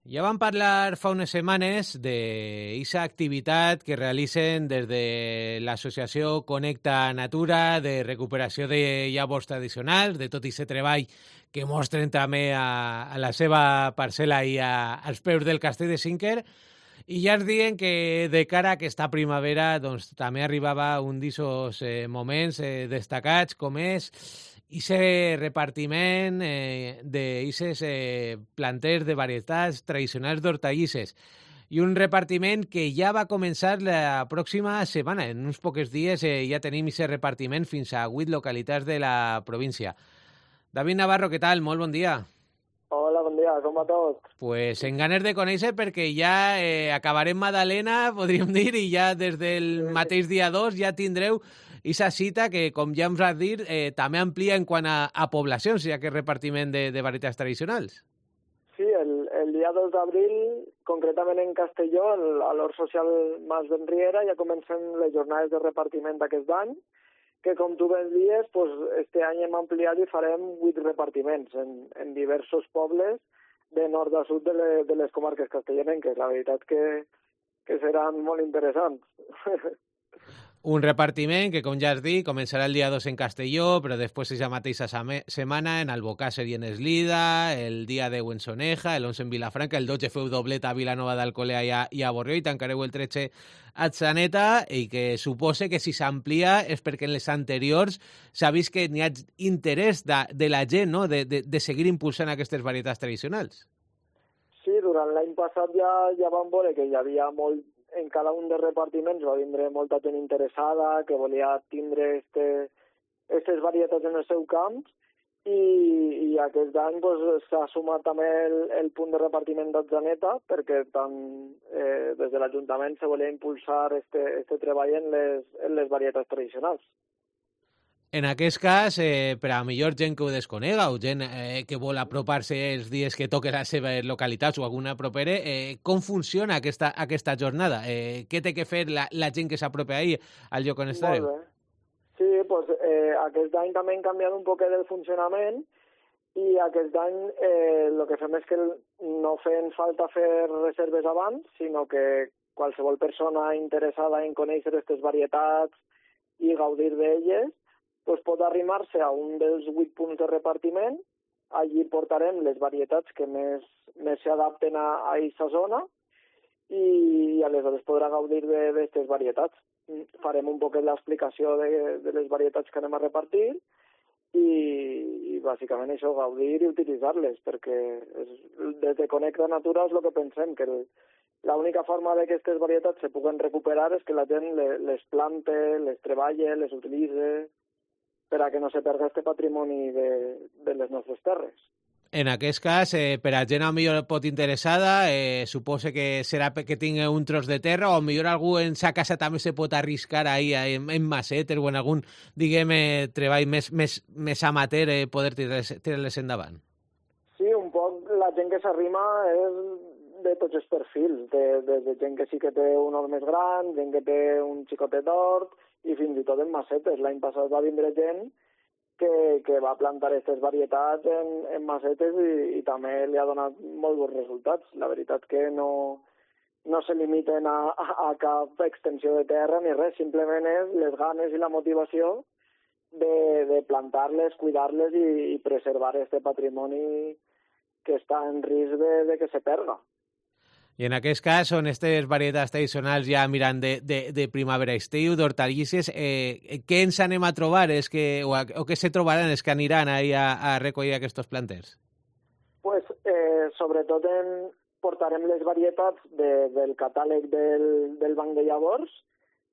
Ja vam parlar fa unes setmanes d'eixa activitat que realicen des de l'associació Connecta Natura de recuperació de llavors tradicionals, de tot aquest treball que mostren també a la seva parcel·la i als peus del castell de Cinquer, i ja ens diuen que de cara a aquesta primavera doncs, també arribava un d'aquests moments destacats, com és ese repartiment d'eixes planters de varietats tradicionals d'hortalisses. I un repartiment que ja va començar la pròxima setmana. En uns pocs dies ja tenim aquest repartiment fins a 8 localitats de la província. David Navarro, què tal? Molt bon dia. Hola, bon dia, com va tot? Pues en ganes de conèixer perquè ja acabarem Madalena, podríem dir, i ja des del mateix dia 2 ja tindreu aquesta cita que, com ja ens vas dir, també amplia en quant a poblacions, ja que és repartiment de varietats tradicionals. Sí, el dia 2 d'abril, concretament en Castelló, a l'Hort Social Mas d'Enriera, ja comencen les jornades de repartiment d'aquest any, que com tu ben dies, pues, este any hem ampliat i farem 8 repartiments en diversos pobles de nord a sud de les comarques castellonenques. La veritat que seran molt interessants. Un repartiment que, com ja has dit, començarà el dia 2 en Castelló, però després aquesta mateixa setmana en Albocàsser i en Eslida, el dia 10 en Soneja, el 11 en Vilafranca, el 12 feu doblet a Vilanova d'Alcolea i a Borrió, i tancareu el 13 a Atzeneta, i que supose que si s'amplia és perquè en les anteriors s'ha vist que n'hi ha interès de la gent, no?, de seguir impulsant aquestes varietats tradicionals. Sí, durant l'any passat ja vam veure que hi havia molt. En cada un dels repartiments va vindre molta gent interessada, que volia tindre aquestes varietats en el seu camp, i aquest any s'ha sumat també el punt de repartiment d'Atzeneta, perquè tant des de l'Ajuntament se volia impulsar este treball en les varietats tradicionals. En aquest cas, per a millor gent que ho desconega o gent que vol apropar-se els dies que toquen les seves localitats o alguna propera, com funciona aquesta jornada? Què té que fer la gent que s'apropa ahir al lloc on estareu? Molt bé. Sí, doncs aquest any també hem canviat un poquet el funcionament i aquest any el que fem és que no fem falta fer reserves abans, sinó que qualsevol persona interessada en conèixer aquestes varietats i gaudir d'elles pues pot arrimar-se a un dels 8 punts de repartiment. Allí portarem les varietats que més s'adapten a aquesta zona i aleshores podrà gaudir d'aquestes varietats. Farem un poquet l'explicació de les varietats que anem a repartir i bàsicament això, gaudir i utilitzar-les, perquè des de Connecta Natura és el que pensem, que l'única forma de que aquestes varietats se puguen recuperar és que la gent les plante, les treballa, les utilitza, per a que no se perda este patrimoni de les nostres terres. En aquest cas, per a gent a millor pot interessada, suposa que serà que tingui un tros de terra o millor algú en sa casa també se pot arriscar ahí en macetes o en algun, diguem, treball més amateur poder tirar-les endavant. Sí, un poc la gent que s'arrima és de tots els perfils, de gent que sí que té un hort més gran, gent que té un xicotet d'hort, i fins i tot en macetes. L'any passat va vindre gent que va plantar aquestes varietats en macetes i també li ha donat molt bons resultats. La veritat que no se limiten a cap extensió de terra ni res, simplement és les ganes i la motivació de plantar-les, cuidar-les i preservar aquest patrimoni que està en risc de que se perda. I en aquest cas són aquestes varietats tradicionals ja mirant de primavera-estiu, d'hortalisses. Què ens anem a trobar o què se trobaran els que aniran a recollir aquests planters? Pues, sobretot portarem les varietats del catàleg del banc de llavors,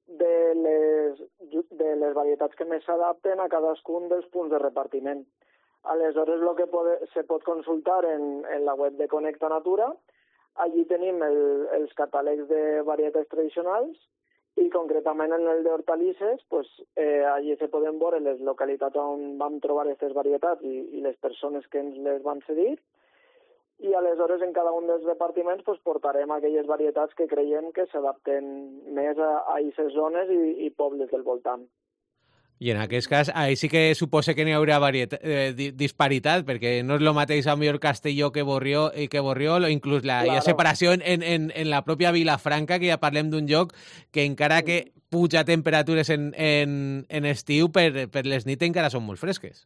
de les varietats que més s'adapten a cadascun dels punts de repartiment. Aleshores, el que se pot consultar en la web de Connecta Natura. Allí tenim els catàlegs de varietats tradicionals i concretament en el d'hortalisses, pues, allí se poden veure les localitats on vam trobar aquestes varietats i les persones que ens les van cedir. I aleshores en cada un dels repartiments pues, portarem aquelles varietats que creiem que s'adapten més a aquestes zones i pobles del voltant. I en aquest cas, ahí sí que suposa que n'hi haurà disparitat, perquè no és el mateix a millor Castelló que Borriol, o inclús hi ha separació en la pròpia Vilafranca, que ja parlem d'un lloc que encara que puja temperatures en estiu, per les nits encara són molt fresques.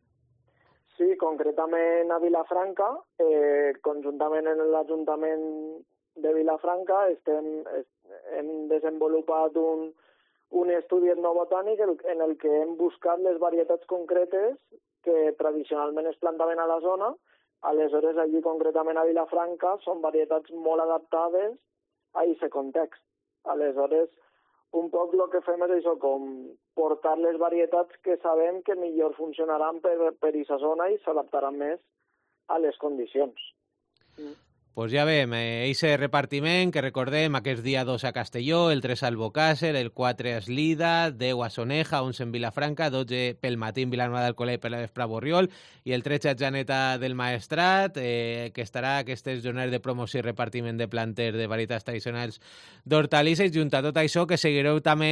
Sí, concretament a Vilafranca, conjuntament en l'Ajuntament de Vilafranca, hem desenvolupat un estudi etnobotànic en el que hem buscat les varietats concretes que tradicionalment es plantaven a la zona. Aleshores, allí concretament a Vilafranca, són varietats molt adaptades a aquest context. Aleshores, un poc el que fem és això, com portar les varietats que sabem que millor funcionaran per aquesta zona i s'adaptaran més a les condicions. Pues ja veiem, eixe repartiment, que recordem, aquest dia 2 a Castelló, el 3 a Albocàsser, el 4 a Eslida, 10 a Soneja, 11 en Vilafranca, 12 pel matí en Vilanova d'Alcolea i per la vespre a Borriol, i el 13 a Janeta del Maestrat, que estarà aquestes jornades de promoció i repartiment de planters de varietats tradicionals d'hortalisses, junt a tot això que seguireu també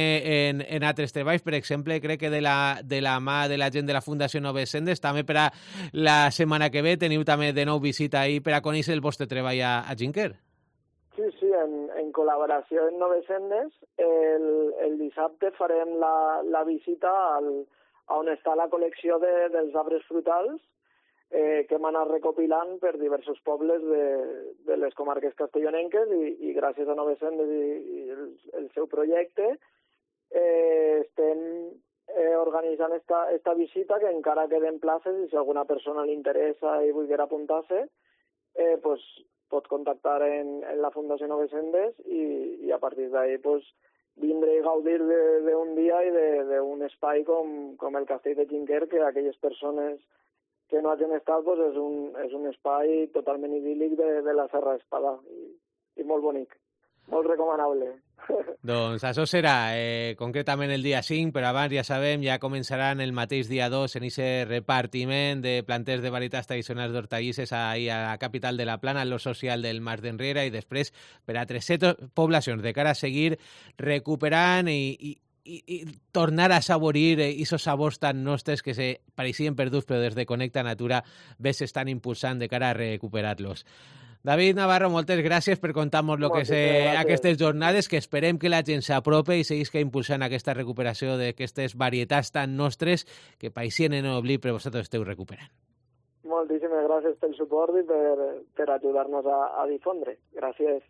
en altres treballs, per exemple, crec que de la mà de la gent de la Fundació Noves Sendes, també per a la setmana que ve teniu també de nou visita ahir per a conèixer el vostre treball a Ginker. Sí, en col·laboració amb Noves Sendes, el dissabte farem la visita on està la col·lecció dels arbres frutals que hem anat recopilant per diversos pobles de les comarques castellonenques i gràcies a Noves Sendes i el seu projecte estem organitzant esta visita, que encara queden places i si alguna persona li interessa i volguera apuntar-se, pues pot contactar en la Fundació Noves Sendes i a partir d'ahí pues, vindre i gaudir d'un dia i d'un espai com el Castell de Ginker, que aquelles persones que no hagin estat pues, és un espai totalment idíl·lic de la Serra Espada i molt bonic, molt recomanable. Doncs això serà concretament el dia 5, però abans ja sabem, ja començaran el mateix dia 2 en aquest repartiment de planters de varietats tradicionals d'hortalisses a la capital de la Plana, en lo social del Mas d'Enrere, i després per a 300 poblacions de cara a seguir recuperant i tornar a saborir esos sabors tan nostres que se pareixien perduts, però des de Connecta Natura ves s'estan impulsant de cara a recuperar-los. David Navarro, moltes gràcies per contar-nos el que és aquestes jornades, que esperem que la gent s'apropi i seguisca impulsant aquesta recuperació d'aquestes varietats tan nostres que paixien en oblit, però vosaltres esteu recuperant. Moltíssimes gràcies pel suport i per ajudar-nos a difondre. Gràcies.